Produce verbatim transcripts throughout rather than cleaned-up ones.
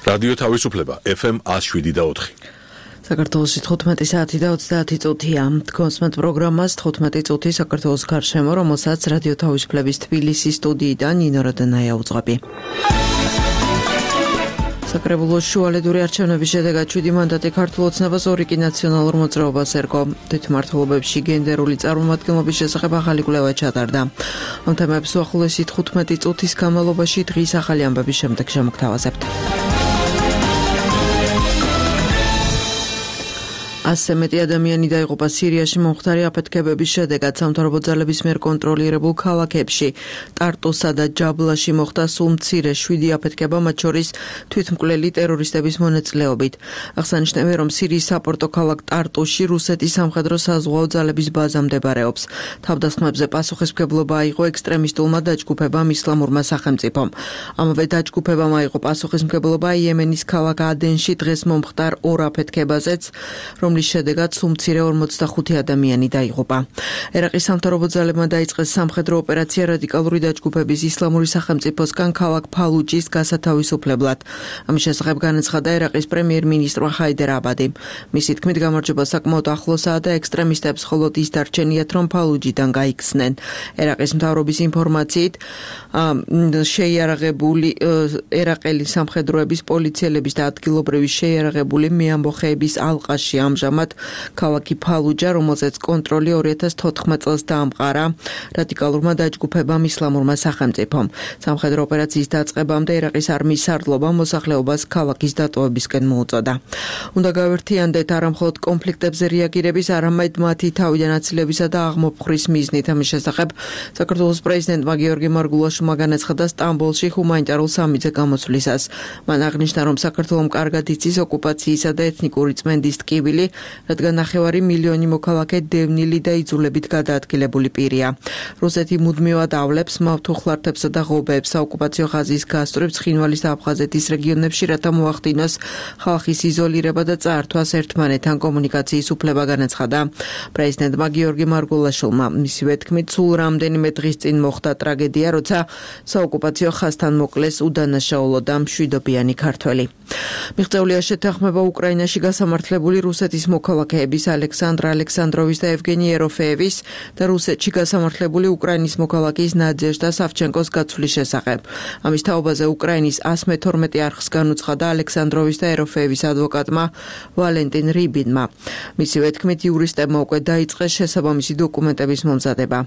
რადიო თავისუფლება ეფ ემ ათს შვიდი და ოთხი. საქართველოს თხუთმეტი საათი და ოცდაათი წუთია. Თქვენს პროგრამას თხუთმეტი წუთი საქართველოს გარშემო, რომელსაც რადიო თავისუფლების თბილისის სტუდიიდან ნინო როდენაია უძღვები. საკრებულოს შუალედური არჩევნების შედეგად შვიდი მანდატი ქართულ ოცნებას ორი კი ნაციონალურ მოძრაობას ერგო. თვითმმართველობებში გენდერული წარმომადგენლობის შესახებ ახალი კვლევა ჩატარდა. ამ თემებს უახლოესი თხუთმეტი წუთის განმავლობაში დღის ახალი ამბების შემდეგ შემოგთავაზებთ. ასზე მეტი ადამიანი დაიღუპა სირიაში მომხდარი აფეთქებების შედეგად სამთავრობო ძალების მიერ კონტროლირებულ ქალაქებში. ტარტუსა და ჯაბლაში მოხდა სულ მცირე შვიდი აფეთქება, მათ შორის თვითმკვლელი ტერორისტების მონაწილეობით. აღსანიშნავია, რომ სირიის საპორტო ქალაქ ტარტუსში რუსეთის სამხედრო საზღვაო ძალების ბაზა მდებარეობს. თავდასხმებზე პასუხისმგებლობა აიღო ექსტრემისტულმა დაჯგუფებამ ისლამურმა სახელმწიფომ. ამავე დაჯგუფებამ აიღო პასუხისმგებლობა იემენის ქალაქ ადენში დღეს მომხდარ ორ აფეთქებაზეც, რომლის შედეგად სულ მცირე ორმოცდახუთი ადამიანი დაიღუპა. ერაყის სამთავრობო ძალებმა დაიწყეს სამხედრო ოპერაცია რადიკალური დაჯგუფების ისლამური სახელმწიფოსგან ქალაქ ფალუჯის გასათავისუფლებლად. ამის შესახებ განაცხადა ერაყის პრემიერ-მინისტრმა ჰაიდერ აბადი. მისი თქმით, გამარჯვება საკმაოდ ახლოსაა და ექსტრემისტებს მხოლოდ ის დარჩენიათ, რომ ფალუჯიდან გაიქცნენ. ერაყის მთავრობის ინფორმაციით, შეიარაღებული ერაყელი სამხედროების, პოლიციელების და ადგილობრივი შეიარაღებული მეამბოხეების ალყაში ამჟამად ქალაქი ფალუჯა, რომელზეც კონტროლი ორი ათას თოთხმეტ წელს დაამყარა რადიკალურმა დაჯგუფებამ ისლამურმა სახელმწიფომ. სამხედრო ოპერაციის დაწყებამდე ერაყის არმიის სარდლობა მოსახლეობას ქალაქის დატოვებისკენ მოუწოდა. უნდა გავერთიანდეთ არამხოლოდ კონფლიქტებზე რეაგირების, არამედ მათი თავიდან აცილებისა და აღმოფხვრის მიზნით. ამის შესახებ საქართველოს პრეზიდენტმა გიორგი მარგულაშვილმა განაცხადა სტამბოლში ჰუმანიტარულ სამიტზე გამოსვლისას. მან აღნიშნა, რომ საქართველომ კარგად იცის ოკუპაციისა და ეთნიკური წმენდის ტკივილი, რადგან ნახევარი მილიონი მოქალაქე დევნილი და იძულებით გადაადგილებული პირია. რუსეთი მუდმივად ავლებს მავთუხლართებსა და ღობეებს საოკუპაციო ხაზის გასწვრივ ცხინვალის და აფხაზეთის რეგიონებში, რათა მოახდინოს ხალხის იზოლირება და წაართვას ერთმანეთთან კომუნიკაციის უფლება, განაცხადა პრეზიდენტმა გიორგი მარგულაშვილმა. მისივე თქმით, სულ რამდენიმე დღის წინ მოხდა ტრაგედია, როცა საოკუპაციო ხაზთან მოკლეს უდანაშაულო და მშვიდობიანი ქართველი. მიღწეულია შეთანხმება უკრაინაში გასამართლებული რუსეთის მოქალაქეების ალექსანდრ ალექსანდროვის და ევგენი ეროფეევის და რუსეთში გასამართლებული უკრაინის მოქალაქის ნადეჟდა სავჩენკოს გაცვლის შესახებ. ამის თაობაზე უკრაინის ასი მეთორმეტე არხს განუცხადა ალექსანდროვის და ეროფეევის ადვოკატმა ვალენტინ რიბინმა. მისივე თქმით, იურისტებმა უკვე დაიწყეს შესაბამისი დოკუმენტების მომზადება.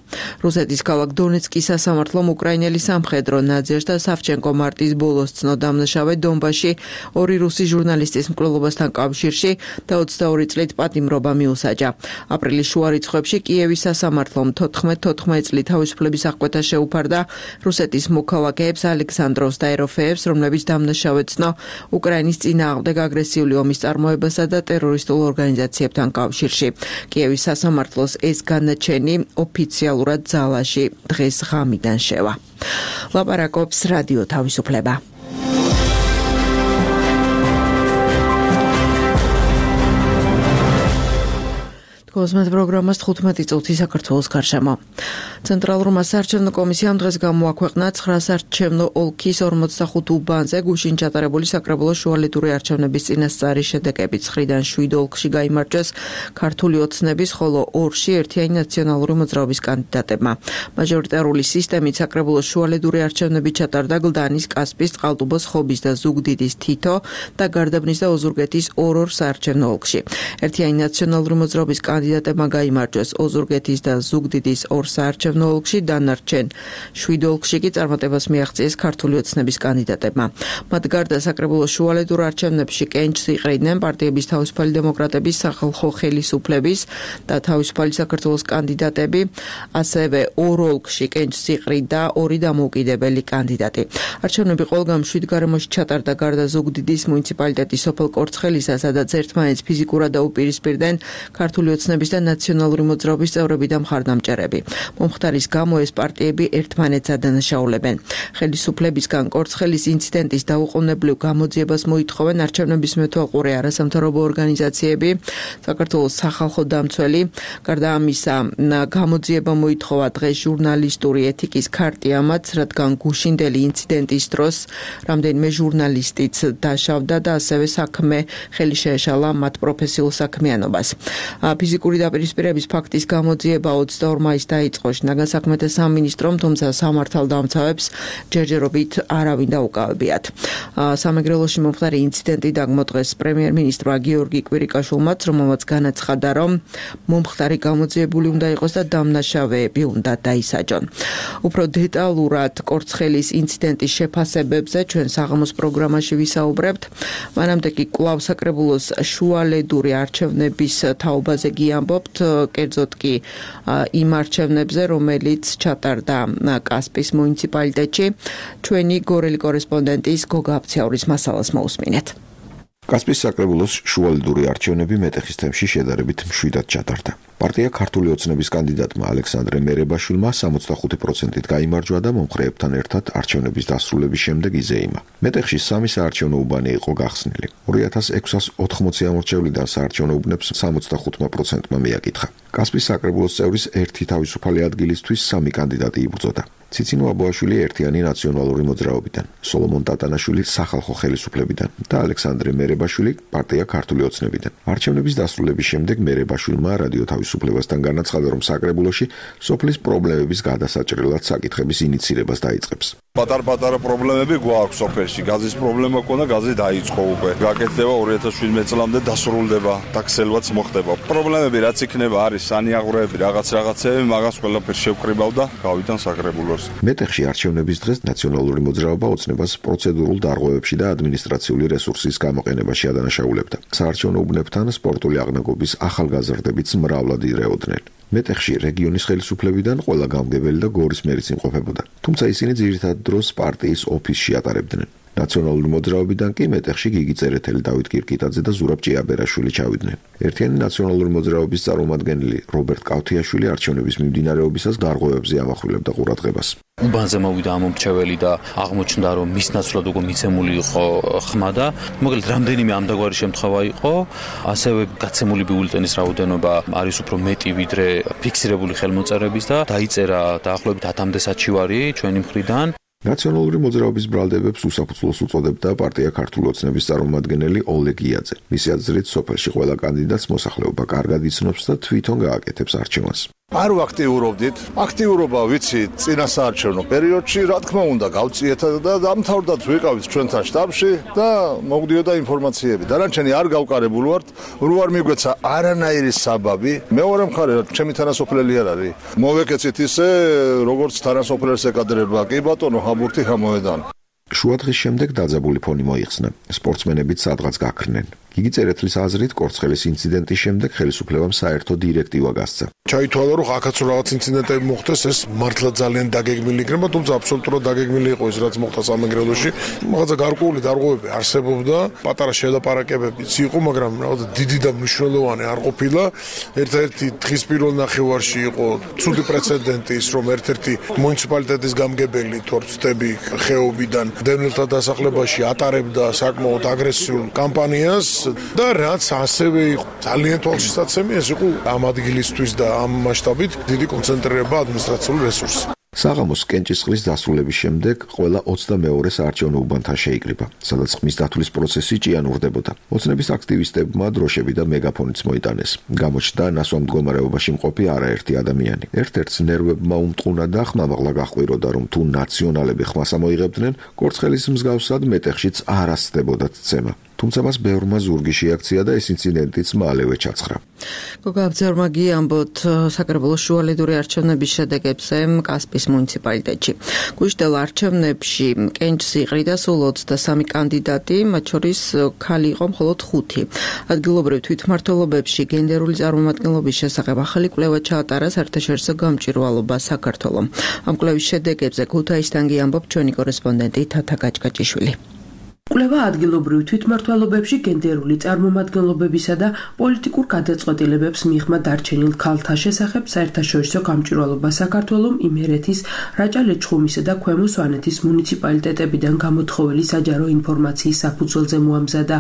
რუსეთის ქალაქ დონეცკის სასამართლომ უკრაინელი სამხედრო ნადეჟდა სავჩენკო მარტის ბოლოს ცნო დამნაშავე დონბასში ორი რუსი ჟურნალისტის მკვლელობასთან კავშირში და ოცდაორი წლით პატიმრობა მიუსაჯა. აპრილის შუა რიცხვებში კიევის სასამართლომ თოთხმეტ თოთხმეტ წლით თავისუფლების აღკვეთა შეუფარდა რუსეთის მოქალაქეებს ალექსანდროვს და ეროფეებს, რომლებიც დამნაშავედ ცნო უკრაინის წინააღმდეგ აგრესიული ომის წარმოებასა და ტერორისტულ ორგანიზაციებთან კავშირში. კიევის სასამართლოს ეს განაჩენი ოფიციალურად ძალაში დღეს ღამიდან შევა. ლაპარაკობს რადიო თავისუფლება. კოსმეთ პროგრამას თხუთმეტი წუთი საქართველოს გარშემო. ცენტრალურმა საარჩევნო კომისიამ დღეს გამოაქვეყნა ცხრა საარჩევნო ოლქის ორმოცდახუთ უბანზე გუშინ ჩატარებული საკრებულოს შუალედური არჩევნების წინასწარი შედეგები. ცხრიდან შვიდ ოლქში გაიმარჯვეს ქართული ოცნების, ხოლო ორში ერთიანი ნაციონალური მოძრაობის კანდიდატებმა. მაჟორიტარული სისტემით საკრებულოს შუალედური არჩევნები ჩატარდა გლდანის, კასპის, წყალტუბოს, ხობის და ზუგდიდის თითო და გარდაბნის და ოზურგეთის ორ-ორ საარჩევნო ოლქში. ერთიანი ნაციონალური მოძრაობის კანდიდატებმა გაიმარჯვეს ოზურგეთის და ზუგდიდის ორ საარჩევნო ოლქში, დანარჩენ შვიდ ოლქში კი წარმატებას მიაღწიეს ქართული ოცნების კანდიდატებმა. მათ გარდა საკრებულოს შუალედურ არჩევნებში კენჭს იყრიდნენ პარტიების თავისუფალი დემოკრატების, სახალხო ხელისუფლების და თავისუფალი საქართველოს კანდიდატები, ასევე ორ ოლქში კენჭს იყრიდა ორი დამოუკიდებელი კანდიდატი. არჩევნები ყველგან შვიდ გარემოში ჩატარდა, გარდა ზუგდიდის მუნიციპალიტეტის სოფელ კორცხელისა, სადაც ერთმანეთს ფიზიკურად დაუპირისპირდნენ ქართული ოცნების ოცნების და ნაციონალური მოძრაობის წევრები და მხარდამჭერები. მომხდარის გამო ეს პარტიები ერთმანეთს ადანაშაულებენ. ხელისუფლებისგან კორცხელის ინციდენტის დაუყოვნებლივ გამოძიებას მოითხოვენ არჩევნების მეთვალყური არასამთავრობო ორგანიზაციები, საქართველოს სახალხო დამცველი. გარდა ამისა, გამოძიება მოითხოვა დღეს ჟურნალისტური ეთიკის ქარტიამაც, რადგან გუშინდელი ინციდენტის დროს რამდენიმე ჟურნალისტიც დაშავდა და ასევე საქმე ხელი შეეშალა მათ პროფესიულ საქმიანობას. ფიზიკური დაპირისპირების ფაქტის გამოძიება ოცდაორ მაისს დაიწყო შინაგან საქმეთა სამინისტრომ, თუმცა სამართალდამცავებს ჯერჯერობით არავინ დაუკავებიათ. სამეგრელოში მომხდარი ინციდენტი დაგმოდღეს პრემიერ-მინისტრმა გიორგი კვირიკაშვილმაც, რომელმაც განაცხადა, რომ მომხდარი გამოძიებული უნდა იყოს და დამნაშავეები უნდა დაისაჯონ. უფრო დეტალურად კორცხელის ინციდენტის შეფასებებზე ჩვენ საღამოს პროგრამაში ვისაუბრებთ. მანამდე კი კვლავ საკრებულოს შუალედური არჩევნების თაობაზე გიამბობთ, კერძოდ კი იმ არჩევნებზე, რომელიც ჩატარდა კასპის მუნიციპალიტეტში. ჩვენი გორელი კორესპონდენტის გოგა აფციაურის მასალას მოусმინეთ. კასპის საკრებულოს შუალედური არჩევნები მეტეხის თემში შედარებით მშვიდად ჩატარდა. პარტია ქართული ოცნების კანდიდატმა ალექსანდრე მერებაშვილმა სამოცდახუთი პროცენტით გაიმარჯვა და მომხრეებთან ერთად არჩევნების დასრულების შემდეგ იზეიმა. მეტეხში სამი საარჩევნო უბანი იყო გახსნილი. ორი ათას ექვსას ოთხმოცი ამორჩევლიდან საარჩევნო უბნებს სამოცდახუთმა პროცენტმა მიაკითხა. კასპის საკრებულოს წევრის ერთი თავისუფალი ადგილისთვის სამი კანდიდატი იბრძოდა. ციცინო აბოაშვილი ერთიანი ნაციონალური მოძრაობიდან, სოლომონ ტატანაშვილი სახალხო ხელისუფლებიდან და ალექსანდრე მერებაშვილი პარტია ქართული ოცნებიდან. არჩევნების დასრულების შემდეგ მერებაშვილმა რადიო თავისუფლებასთან განაცხადა, რომ საკრებულოში სოფლის პრობლემების გადასაჭრელად საკითხების ინიცირებას დაიწყებს. პატარ-პატარა პრობლემები გვაქვს სოფელში. გაზის პრობლემა ქონდა, გაზი დაიწყო უკვე. გაკეთდება ორი ათას შვიდმეტ წლამდე დასრულდება, ტაქსელვაც მოხდება. პრობლემები რაც იქნება არის სანიაღვრეები, რაღაც რაღაცები, მაგას ყველაფერს შევკრიბავ და გავიდან საკრებულოს. მეტეხში არჩევნების დღეს ნაციონალური მოძრაობა ოცნებას პროცედურულ დარღვევებში და ადმინისტრაციული რესურსის გამოყენებაში ადანაშაულებდა. საარჩევნო უბნებთან სპორტული აღნაგობის ახალგაზრდებიც მრავლად ირეოდნენ. მეტეხში რეგიონის ხელისუფლებიდან ყველა გამგებელი და გორის მერიც იმყოფებოდა. თუმცა ისინი ძირითად დროს პარტიის ოფისში ატარებდნენ. ნაციონალური მოძრაობიდან კი მეტეხში გიგი წერეთელი, დავით კირკიტაძე და ზურაბ ჭიაბერაშვილი ჩავიდნენ. ერთიანი ნაციონალური მოძრაობის წარმომადგენელი რობერტ კავთიაშვილი არჩევნების მიმდინარეობისას დარღვევებზე ამახვილებდა ყურადღებას. უბანზე მოვიდა ამომრჩეველი და აღმოჩნდა, რომ მის ნაცვლად უკვე მიცემული იყო ხმა და მოკლედ რამდენიმე ამდაგვარი შემთხვევა იყო. ასევე გაცემული ბიულეტენის რაოდენობა არის უფრო მეტი ვიდრე ფიქსირებული ხელმოწერების და დაიწერა დაახლოებით ათამდე საჩივარი ჩვენი მხრიდან. ნაციონალური მოძრაობის ბრალდებებს უსაფუძვლოს უწოდებდა პარტია ქართული ოცნების წარმომადგენელი ოლეგ იაძე. მისი აზრით, სოფელში ყველა კანდიდატს მოსახლეობა კარგად იცნობს და თვითონ გააკეთებს არჩევანს. არ ვაქტიურობდით. აქტიურობა ვიცი წინა საარჩევნო პერიოდში, რა თქმა უნდა, გავწიეთ და დამთავრდათ ვიყავით ჩვენთან შტაბში და მოგდიოდა ინფორმაციები. დანარჩენი არ გავკარებულ ვართ, რო არ მიგვეცა არანაირი საბაბი. მეორე მხარე, ჩემი თანასოფლელი არ არის. მოვეკეცით ისე, როგორც თანასოფლელს ეკადრება. კი ბატონო, ჰაბურთი ხამოედან. შუადღის შემდეგ დაძაბული ფონი მოიხსნა. სპორტსმენებიც სადღაც გაქრნენ. გიგი წერეთლის აზრით, კორცხელის ინციდენტის შემდეგ ხელისუფლებამ საერთო დირექტივა გასცა. ჩაითვალა, რომ აქაც რაღაც ინციდენტები მოხდეს, ეს მართლა ძალიან დაგეგმილი იქნება, თუმცა აბსოლუტურად დაგეგმილი იყო ის, რაც მოხდა სამეგრელოში. რაღაცა გარკვეული დარღვევები არსებობდა, პატარა შელაპარაკებებიც იყო, მაგრამ რაღაცა დიდი და მნიშვნელოვანი არ ყოფილა. ერთ-ერთი დღის პირველ ნახევარში იყო ცუდი პრეცედენტი ის, რომ ერთ-ერთი მუნიციპალიტეტის გამგებელი თორცდები ხეობიდან დევნილთა დასახლებაში ატარებდა საკმაოდ აგრესიულ კამპანიას. და რაც ასევე იყო ძალიან თვალშისაცემი, ეს იყო ამ ადგილისთვის და ამ მასშტაბით დიდი კონცენტრირება ადმინისტრაციული რესურსს. საღამოს კენჭისყრის დასრულების შემდეგ ყველა ოცდამეორე საარჩევნო უბანთან შეიკრიბა, სადაც ხმის დათვლის პროცესი ჭიანურდებოდა. ოცნების აქტივისტებმა დროშები და მეგაფონიც მოიტანეს. გამოჩნდა ნასვამ მდგომარეობაში მყოფი არაერთი ადამიანი. ერთ-ერთს ნერვებმა უმტყუნა და ხმამაღლა გაჰყვიროდა, რომ თუ ნაციონალები ხმას ამოიღებდნენ, კორცხელის მსგავსად მეტეხშიც არ ასწდებოდათ ცემა. თუმცა მას ბევრმა ზურგი შეაქცია და ეს ინციდენტიც მალევე ჩაცხრა. გოგა აფციაურმა გიამბოთ საკრებულოს შუალედური არჩევნების შედეგებზე კასპის მუნიციპალიტეტში. გუშინდელ არჩევნებში კენჭს იყრიდა სულ ოცდასამი კანდიდატი, მათ შორის ქალი იყო მხოლოდ ხუთი. ადგილობრივ თვითმმართველობებში გენდერული წარმომადგენლობის შესახებ ახალი კვლევა ჩაატარა საერთაშორისო გამჭვირვალობა საქართველოს. ამ კვლევის შედეგებზე ქუთაისიდან გიამბობ ჩვენი კორესპონდენტი თათა გაჭგაჭიშვილი. კვლევა ადგილობრივ თვითმმართველობებში გენდერული წარმომადგენლობებისა და პოლიტიკურ გადაწყვეტილებებს მიღმა დარჩენილ ქალთა შესახებ საერთაშორისო გამჭვირვალობა საქართველოს, იმერეთის, რაჭა-ლეჩხუმისა და ქვემო სვანეთის მუნიციპალიტეტებიდან გამოთხოვილი საჯარო ინფორმაციის საფუძველზე მოამზადა.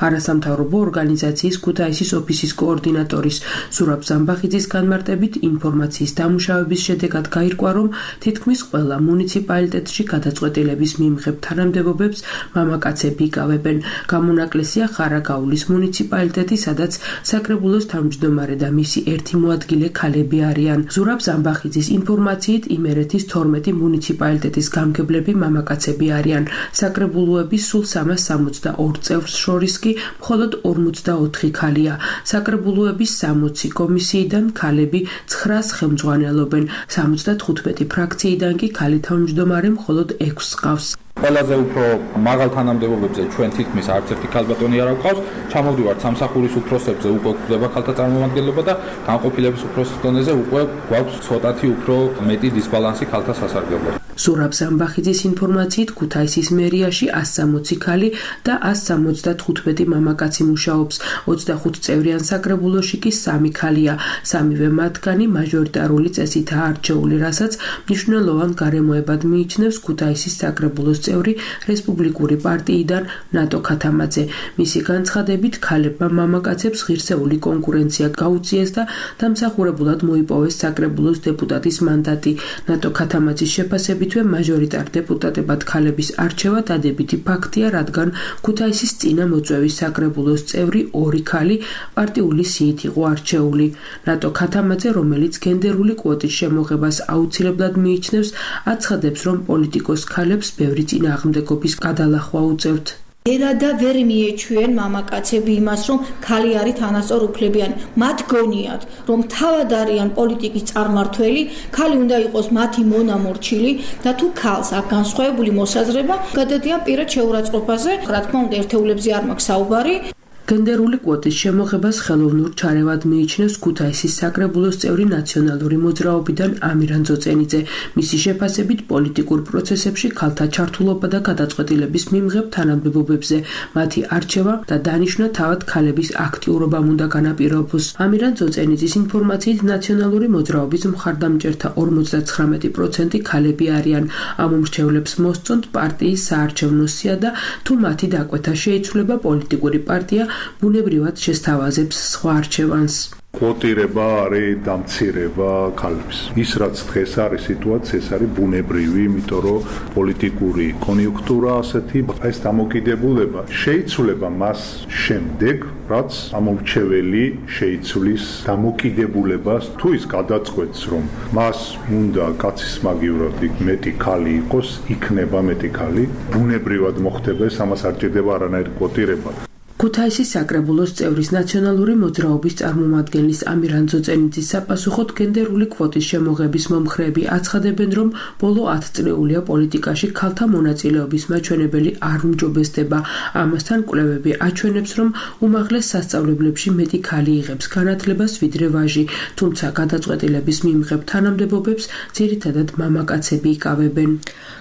არასამთავრობო ორგანიზაციის ქუთაისის ოფისის კოორდინატორის ზურაბ ზამბახიძის განმარტებით ინფორმაციის დამუშავების შედეგად გაირკვა, რომ თითქმის ყველა მუნიციპალიტეტში გადაწყვეტილების მიმღებ თანამდებობებს მამაკაცები იკავებენ. გამონაკლისია ხარაგაულის მუნიციპალიტეტი, სადაც საკრებულოს თავმჯდომარე და მისი ერთი მოადგილე ქალები არიან. ზურაბ ზამბახიძის ინფორმაციით იმერეთის თორმეტი მუნიციპალიტეტის გამგებლები მამაკაცები არიან. საკრებულოების სულ სამას სამოცდაორ წევრს შორის კი მხოლოდ ორმოცდაოთხი ქალია. საკრებულოების სამოცი კომისიიდან ქალები ცხრას ხელმძღვანელობენ. სამოცდათხუთმეტი ფრაქციიდან კი ქალი თავმჯდომარე მხოლოდ ექვსს ყავს. ყველაზე უფრო მაღალ თანამდებობებზე ჩვენ თითქმის არც ერთი ქალბატონი არ გვყავს. ჩამოვდივართ სამსახურის უფროსებზე, უკვე გვხვდება ქალთა წარმომადგენლობა და განყოფილების უფროსის დონეზე უკვე გვაქვს ცოტათი უფრო მეტი დისბალანსი ქალთა სასარგებლოდ. ზურაბ ზამბახიძის ინფორმაციით ქუთაისის მერიაში ასი სამოცი ქალი და ასი სამოცდათხუთმეტი მამაკაცი მუშაობს. ოცდახუთ წევრიან საკრებულოში კი სამი ქალია. სამივე მათგანი მაჟორიტარული წესითაა არჩეული, რასაც მნიშვნელოვან გარემოებად მიიჩნევს ქუთაისის საკრებულოს წევრი რესპუბლიკური პარტიიდან ნატო ქათამაძე. მისი განცხადებით, ქალებმა მამაკაცებს ღირსეული კონკურენცია გაუწიეს და დამსახურებულად მოიპოვეს საკრებულოს დეპუტატის მანდატი. ნატო ქათამაძის შეფასებით მაჟორიტარ დეპუტატებად ქალების არჩევა დადებითი ფაქტია, რადგან ქუთაისის წინა მოწვევის საკრებულოს წევრი ორი ქალი პარტიული სიით იყო არჩეული. ნატო ქათამაძე, რომელიც გენდერული კვოტის შემოღებას აუცილებლად მიიჩნევს, აცხადებს, რომ პოლიტიკოს ქალებს ბევრი წინააღმდეგობის გადალახვა უწევთ. ერადა ვერ მიეჩვენ მამაკაცები იმას, რომ ქალი არის თანასწორ უფლებიანი. მათ გონიათ, რომ თავად არიან პოლიტიკის წარმართველი, ქალი უნდა იყოს მათი მონამორჩილი და თუ ქალს აქვს განსხვავებული მოსაზრება, გადადიან პირად შეურაცხყოფაზე. რა თქმა უნდა, ერთეულებზე არ მაქვს საუბარი. გენდერული კვოტის შემოღებას ხელოვნურ ჩარევად მიიჩნევს ქუთაისის საკრებულოს წევრი ნაციონალური მოძრაობიდან ამირან ძოწენიძე. მისი შეფასებით, პოლიტიკურ პროცესებში ქალთა ჩართულობა და გადაწყვეტილების მიმღებ თანამდებობებზე მათი არჩევა და დანიშვნა თავად ქალების აქტიურობამ უნდა განაპირობოს. ამირან ძოწენიძის ინფორმაციით, ნაციონალური მოძრაობის მხარდამჭერთა ორმოცდაცხრამეტი პროცენტი ქალები არიან. ამ უმრჩევლებს მოსწონთ პარტიის საარჩევნო სია და თუ მათი დაკვეთა შეიცვლება, პოლიტიკური პარტია ბუნებრივად შესთავაზებს სხვა არჩევანს. კვოტირება არის დამცირება ქალებს. ის რაც დღეს არის სიტუაცია, ეს არის ბუნებრივი, იმიტომ რომ პოლიტიკური კონიუნქტურა ასეთი, ეს დამოკიდებულება შეიცვლება მას შემდეგ, რაც ამორჩეველი შეიცვლის დამოკიდებულებას, თუ ის გადაწყვეტს, რომ მას უნდა კაცის მაგივრად მეტი ქალი იყოს, იქნება მეტი ქალი, ბუნებრივად მოხდება, ეს ამას არ ჭირდება არანაირი კვოტირება. ქუთაისის საკრებულოს წევრის ნაციონალური მოძრაობის წარმომადგენლის ამირან ძოწენიძის საპასუხოდ გენდერული კვოტის შემოღების მომხრეები აცხადებენ, რომ ბოლო ათწლეულია პოლიტიკაში ქალთა მონაწილეობის მაჩვენებელი არ უმჯობესდება. ამასთან კვლევები აჩვენებს, რომ უმაღლეს სასწავლებლებში მეტი ქალი იღებს განათლებას ვიდრე ვაჟი, თუმცა გადაწყვეტილების მიმღებ თანამდებობებს ძირითადად მამაკაცები იკავებენ.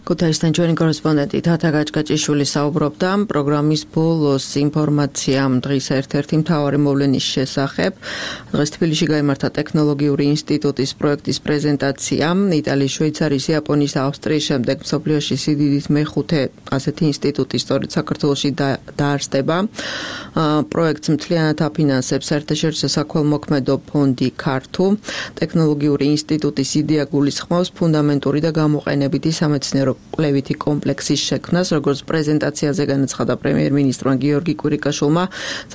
ქუთაისთან ჩვენი კორესპონდენტი თათა გაჭგაჭიშვილი საუბრობდა პროგრამის ბოლოს ინფორმაციამ დღის ერთ-ერთი მთავარი მოვლენის შესახებ. დღეს თბილისში გაიმართა ტექნოლოგიური ინსტიტუტის პროექტის პრეზენტაცია. იტალიის, შვეიცარიის, იაპონიის და ავსტრიის შემდეგ მსოფლიოში სიდიდით მეხუთე ასეთი ინსტიტუტი სწორედ საქართველოში დაარსდება. პროექტს მთლიანად აფინანსებს საერთაშორისო საქველმოქმედო ფონდი ქართუ. ტექნოლოგიური ინსტიტუტის იდეა გულისხმობს ფუნდამენტური და გამოყენებითი სამეცნიერო კვლევითი კომპლექსის შექმნას, როგორც პრეზენტაციაზე განაცხადა პრემიერ-მინისტრმა გიორგი კვირიკაშვილმა.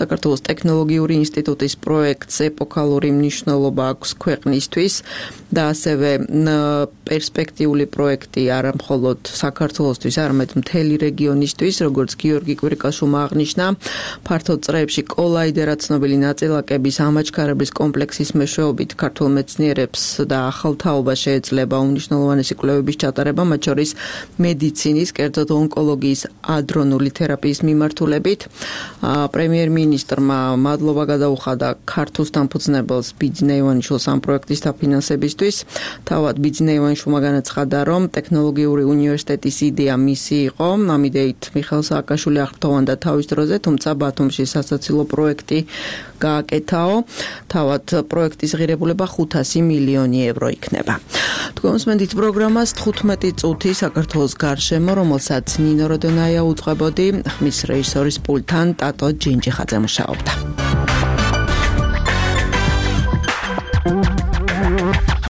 საქართველოს ტექნოლოგიური ინსტიტუტის პროექტს ეპოქალური მნიშვნელობა აქვს ქვეყნისთვის და ასევე პერსპექტიული პროექტი არა მხოლოდ საქართველოსთვის, არამედ მთელი რეგიონისთვის, როგორც გიორგი კვირიკაშვილმა აღნიშნა. ფართოდ წრეებში კოლაიდერა ცნობილი ნაწილაკების ამაჩქარების კომპლექსის მეშვეობით ქართულ მეცნიერებს და ახალ თაობა შეეძლება უმნიშვნელოვანესი კვლევების ჩატარება, მათ შორის მედიცინის, კერძოდ ონკოლოგიის, ადრონული თერაპიის მიმართულებით. პრემიერ-მინისტრმა მადლობა გადაუხადა ქართულ დამფუძნებელს ბიძინა ივანიშვილს ამ პროექტის დაფინანსებისთვის. თავად ბიძინა ივანიშვილმა განაცხადა, რომ ტექნოლოგიური უნივერსიტეტის იდეა მისი იყო. ამ იდეით მიხეილ სააკაშვილი აღფრთოვანდა თავის დროზე, თუმცა ბათუმში სასაცილო პროექტი გააკეთაო. თავად პროექტის ღირებულება ხუთასი მილიონი ევრო იქნება. თქვენს მენდით პროგრამას თხუთმეტი წუთი საქართველოს გარშემო, რომელსაც ნინო როდონაია უძღვებოდი, ხმის რეჟისორის პულტთან ტატო ჯინჯიხაძე მუშაობდა.